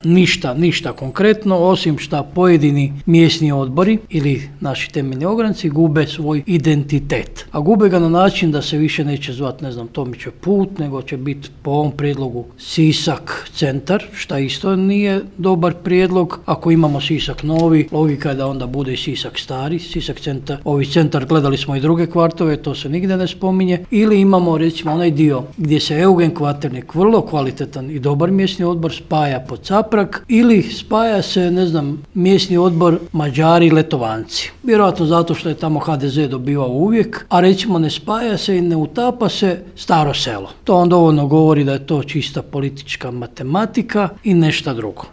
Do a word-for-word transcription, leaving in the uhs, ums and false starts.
Ništa, ništa konkretno, osim što pojedini mjesni odbori ili naši temeljni ogranci gube svoj identitet. A gube ga na način da se više neće zvati, ne znam, Tomićev put, nego će biti po ovom prijedlogu Sisak centar, što isto nije dobar prijedlog. Ako imamo Sisak novi, logika je da onda bude i Sisak stari, Sisak centar, ovi centar, gledali smo i druge kvartove, to se nigdje ne spominje. Ili imamo recimo onaj dio gdje se Eugen Kvaternik, vrlo kvalitetan i dobar mjesni odbor, spaja pod Caprag, ili spaja se, ne znam, mjesni odbor Mađari Letovanci. Vjerojatno zato što je tamo ha de ze dobivao uvijek, a recimo ne spaja se i ne utapa se Staro Selo. To on dovoljno govori da je to čista politička matematika i nešto drugo.